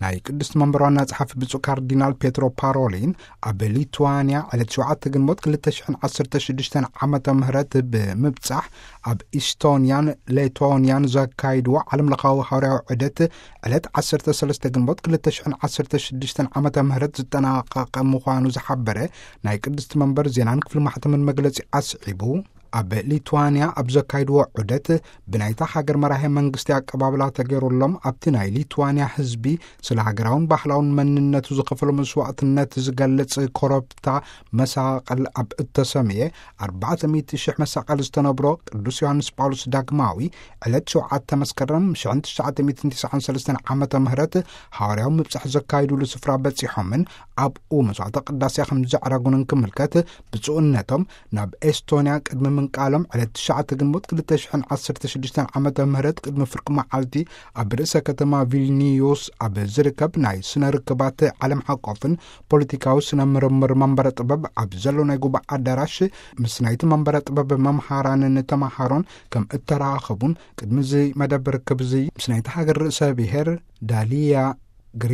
ናይ ቅድስቲ መንበር ዋና ጸሓፊ ብፁዕ ካርዲናል ፔትሮ ፓሮሊን ኣብ ሊቱዋንያ ዕለት ሸውዓተ ግንቦት ክልተ ሽሕን ዓሰርተ ሽዱሽተን ዓመተ ምህረት ብምብጻሕ፣ ኣብ ኢስቶንያን ሌቶንያን ዘካይድዎ ዓለም ለኻዊ ሃዋርያዊ ዑደት ዕለት ዓሰርተ ሰለስተ ግንቦት ክልተ ሽሕን ዓሰርተ ሽዱሽተን ዓመተ ምህረት ዝጠናቐቐ ምዃኑ ዝሓበረ ናይ ቅድስቲ መንበር ዜናን ክፍሊ ማሕተምን መግለጺ ኣስዒቡ፣ ኣብ ሊቱዋንያ ኣብ ዘካይድዎ ዑደት ብናይታ ሃገር መራሄ መንግስቲ ኣቀባብላ ተገይሩሎም፣ ኣብቲ ናይ ሊቱዋንያ ህዝቢ ስለ ሃገራውን ባህላውን መንነቱ ዝኸፈሎ መስዋዕትነት ዝገልጽ ኮረብታ መሳቕል ኣብ እተሰምየ ኣርባዕተ ሚእቲ ሽሕ መሳቕል ዝተነብሮ ቅዱስ ዮሃንስ ጳውሎስ ዳግማዊ ዕለት ሸውዓተ መስከረም ሽሕን ትሽዓተ ሚእትን ትስዓን ሰለስተን ዓመተ ምህረት ሃዋርያዊ ምብጻሕ ዘካይዱሉ ስፍራ በጺሖምን ኣብኡ መስዋዕተ ቅዳሴ ከም ዘዕረጉን እንክምልከት፣ ብፁዕነቶም ናብ ኤስቶንያ ቅድሚ ምንቃሎም ዕለት ትሽዓተ ግንቦት ክልተ ሽሕን ዓሰርተ ሽዱሽተን ዓመተ ምህረት ቅድሚ ፍርቂ መዓልቲ ኣብ ርእሰ ከተማ ቪልኒዩስ ኣብ ዝርከብ ናይ ስነ ርክባት ዓለም ሓቆፍን ፖለቲካዊ ስነ ምርምር መንበረ ጥበብ ኣብ ዘሎ ናይ ጉባኤ ኣዳራሽ ምስ ናይቲ መንበረ ጥበብ መምሃራንን ተማሃሮን ከም እተራኸቡን፣ ቅድሚ እዚ መደብ ርክብ እዚ ምስ ናይቲ ሃገር ርእሰ ብሔር ዳሊያ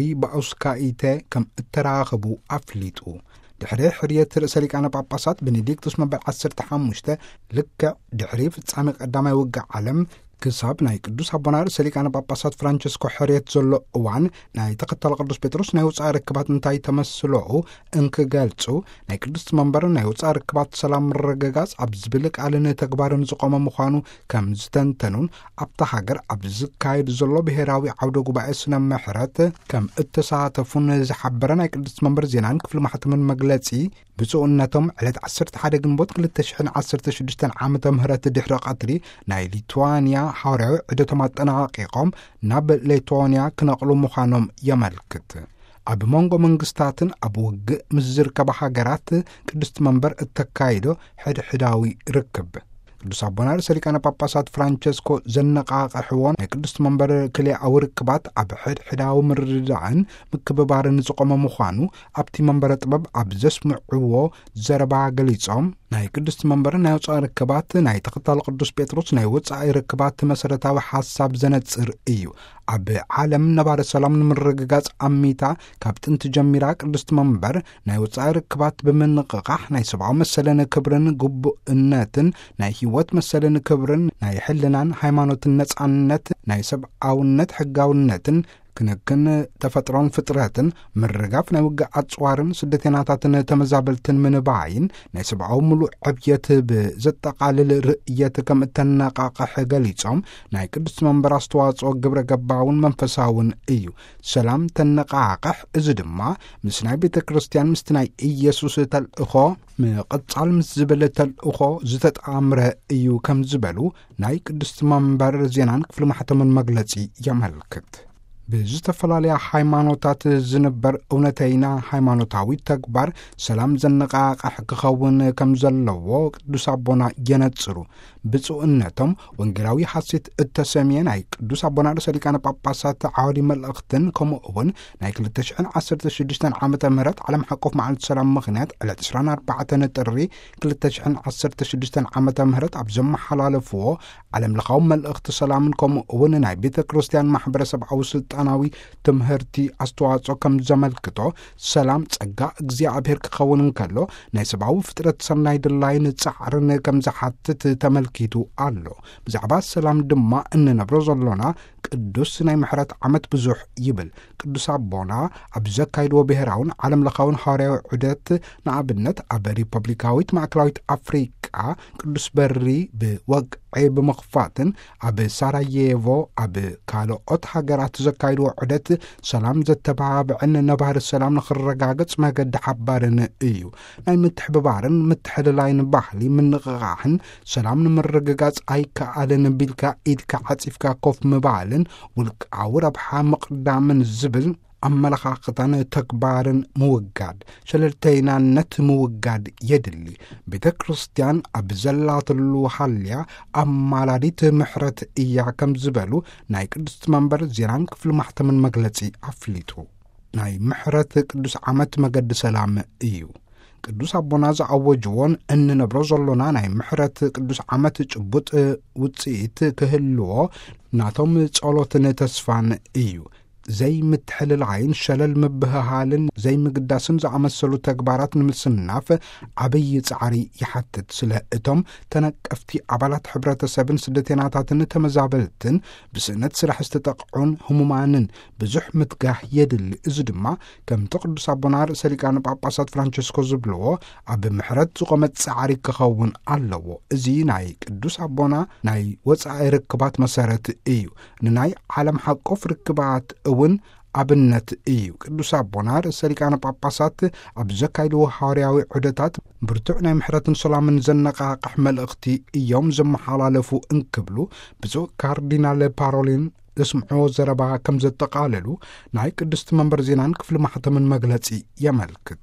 ግሪባውስካይተ ከም እተራኸቡ ኣፍሊጡ። ድሕሪ ሕርየት ርእሰ ሊቃነ ጳጳሳት ቤኔዲክቱስ መበል ዓሰርተ ሓሙሽተ፣ ልክዕ ድሕሪ ፍጻሜ ቀዳማይ ውግእ ዓለም ክሳብ ናይ ቅዱስ ኣቦና ርእሰ ሊቃነ ጳጳሳት ፍራንቸስኮ ሕርየት ዘሎ እዋን፣ ናይ ተኸታሊ ቅዱስ ጴጥሮስ ናይ ወጻኢ ርክባት እንታይ ተመስሎኡ እንክገልጹ፣ ናይ ቅድስቲ መንበር ናይ ወጻኢ ርክባት ሰላም ምርግጋጽ ኣብ ዝብል ቃልን ተግባርን ዝቆመ ምዃኑ ከም ዝተንተኑን፣ ኣብታ ሃገር ኣብ ዝካየድ ዘሎ ብሔራዊ ዓውደ ጉባኤ ስነ ምሕረት ከም እተሳተፉን ዝሓበረ ናይ ቅድስቲ መንበር ዜናን ክፍሊ ማሕተምን መግለጺ፣ ብፁዕነቶም ዕለት ዓሰርተ ሓደ ግንቦት ክልተ ሽሕን ዓሰርተ ሽዱሽተን ዓመተ ምህረት ድሕሪ ቀትሪ ናይ ሊቱዋንያ ሃዋርያዊ ዑደቶም ኣጠናቒቖም ናብ ሌቶንያ ክነቕሉ ምዃኖም የመልክት። ኣብ መንጎ መንግስታትን ኣብ ውግእ ምስ ዝርከባ ሃገራት ቅድስቲ መንበር እተካይዶ ሕድሕዳዊ ርክብ። ቅዱስ ኣቦና ርእሰ ሊቃነ ጳጳሳት ፍራንቸስኮ ዘነቓቕሕዎ ናይ ቅድስቲ መንበር ክልኤኣዊ ርክባት ኣብ ሕድሕዳዊ ምርድዳእን ምክብባርን ዝቖመ ምዃኑ ኣብቲ መንበረ ጥበብ ኣብ ዘስምዕዎ ዘረባ ገሊጾም፣ ናይ ቅድስቲ መንበር ናይ ወጻኢ ርክባት ናይ ተኸታሊ ቅዱስ ጴጥሮስ ናይ ወጻኢ ርክባት መሰረታዊ ሓሳብ ዘነጽር እዩ። ኣብ ዓለም ነባሪ ሰላም ንምርግጋጽ ኣሚታ ካብ ጥንቲ ጀሚራ ቅድስቲ መንበር ናይ ወጻኢ ርክባት ብምንቕቓሕ ናይ ሰብኣዊ መሰልን ክብርን ግቡእነትን ናይ ህይወት መሰልን ክብርን ናይ ሕልናን ሃይማኖትን ነጻነት ናይ ሰብኣውነት ሕጋውነትን ክንክን ተፈጥሮን ፍጥረትን ምርጋፍ ናይ ውግእ ኣጽዋርን ስደተኛታትን ተመዛበልትን ምንባይን ናይ ሰብኣዊ ምሉእ ዕብየት ብዘጠቓልል ርእየት ከም እተነቓቕሕ ገሊጾም፣ ናይ ቅድስቲ መንበር ኣስተዋጽኦ ግብረ ገባውን መንፈሳውን እዩ። ሰላም ተነቓቕሕ፣ እዚ ድማ ምስ ናይ ቤተ ክርስቲያን ምስቲ ናይ ኢየሱስ ተልእኾ ምቕጻል ምስ ዝብል ተልእኾ ዝተጣምረ እዩ ከም ዝበሉ ናይ ቅድስቲ መንበር ዜናን ክፍሊ ማሕተምን መግለጺ የመልክት። ብዝተፈላለያ ሃይማኖታት ዝንበር እውነተይና ሃይማኖታዊ ተግባር ሰላም ዘነቓቕሕ ክኸውን ከም ዘለዎ ቅዱስ ኣቦና የነጽሩ። ብፁዕነቶም ወንጌላዊ ሓሴት እተሰምየ ናይ ቅዱስ ኣቦና ርእሰ ሊቃነ ጳጳሳት ዓወዲ መልእኽትን ከምኡ እውን ናይ ክልተ ሽሕን ዓሰርተ ሽዱሽተን ዓመተ ምህረት ዓለም ሓቆፍ መዓልቲ ሰላም ምኽንያት ዕለት ዕስራን ኣርባዕተን ጥሪ ክልተ ሽሕን ዓሰርተ ሽዱሽተን ዓመተ ምህረት ኣብ ዘመሓላለፍዎ ዓለም ለኻዊ መልእኽቲ ሰላምን ከምኡ እውን ናይ ቤተ ክርስቲያን ማሕበረሰብኣዊ ስልጣናዊ ትምህርቲ ኣስተዋጽኦ ከም ዘመልክቶ፣ ሰላም ጸጋ እግዚኣብሔር ክኸውን እንከሎ፣ ናይ ሰብኣዊ ፍጥረት ሰናይ ድላይን ጻዕርን ከም ዝሓትት ተመልኪቱ ኣሎ። ብዛዕባ ሰላም ድማ እንነብሮ ዘሎና ቅዱስ ናይ ምሕረት ዓመት ብዙሕ ይብል። ቅዱስ ኣቦና ኣብ ዘካይድዎ ብሔራውን ዓለም ለኻውን ሃዋርያዊ ዑደት፣ ንኣብነት ኣብ ሪፐብሊካዊት ማእከላዊት ኣፍሪቃ ቅዱስ በሪ ብወግዒ ብምኽፋትን ኣብ ሳራየቮ ኣብ ካልኦት ሃገራት ዘካይድዎ ዑደት ሰላም ዘተባብዕን ነባሪ ሰላም ንኽረጋገጽ መገዲ ሓባርን እዩ። ናይ ምትሕብባርን ምትሕልላይን ባህሊ ምንቕቓሕን ሰላም ንምርግጋጽ ኣይከኣልን ቢልካ ኢድካ ዓጺፍካ ኮፍ ምባልን ውልቃዊ ረብሓ ምቕዳምን ዝብል ኣመለኻኽታን ተግባርን ምውጋድ፣ ሸለልተይናነት ምውጋድ የድሊ። ቤተ ክርስቲያን ኣብ ዘላትሉ ሃልያ ኣማላዲት ምሕረት እያ ከም ዝበሉ ናይ ቅድስቲ መንበር ዜናን ክፍሊ ማሕተምን መግለጺ ኣፍሊጡ። ናይ ምሕረት ቅዱስ ዓመት መገዲ ሰላም እዩ። ቅዱስ ኣቦና ዝኣወጅዎን እንነብሮ ዘሎና ናይ ምሕረት ቅዱስ ዓመት ጭቡጥ ውጽኢት ክህልዎ ናቶም ጸሎትን ተስፋን እዩ። ዘይምትሕልላይን ሸለል ምብህሃልን ዘይምግዳስን ዝኣመሰሉ ተግባራት ንምስናፍ ዓብዪ ጻዕሪ ይሓትት። ስለ እቶም ተነቀፍቲ ኣባላት ሕብረተሰብን ስደተናታትን ተመዛበልትን ብስእነት ስራሕ ዝተጠቕዑን ህሙማንን ብዙሕ ምትጋህ የድሊ። እዚ ድማ ከምቲ ቅዱስ ኣቦና ርእሰ ሊቃነ ጳጳሳት ፍራንቸስኮ ዝብልዎ ኣብ ምሕረት ዝቖመ ጻዕሪ ክኸውን ኣለዎ። እዚ ናይ ቅዱስ ኣቦና ናይ ወጻኢ ርክባት መሰረት እዩ። ንናይ ዓለም ሓቆፍ ርክባት እውን ኣብነት እዩ። ቅዱስ ኣቦና ርእሰ ሊቃነ ጳጳሳት ኣብ ዘካይድዎ ሃዋርያዊ ዑደታት ብርቱዕ ናይ ምሕረትን ሰላምን ዘነቓቕሕ መልእኽቲ እዮም ዘመሓላለፉ እንክብሉ ብፁዕ ካርዲናል ፓሮሊን ዘስምዕዎ ዘረባ ከም ዘጠቓለሉ ናይ ቅድስቲ መንበር ዜናን ክፍሊ ማሕተምን መግለጺ የመልክት።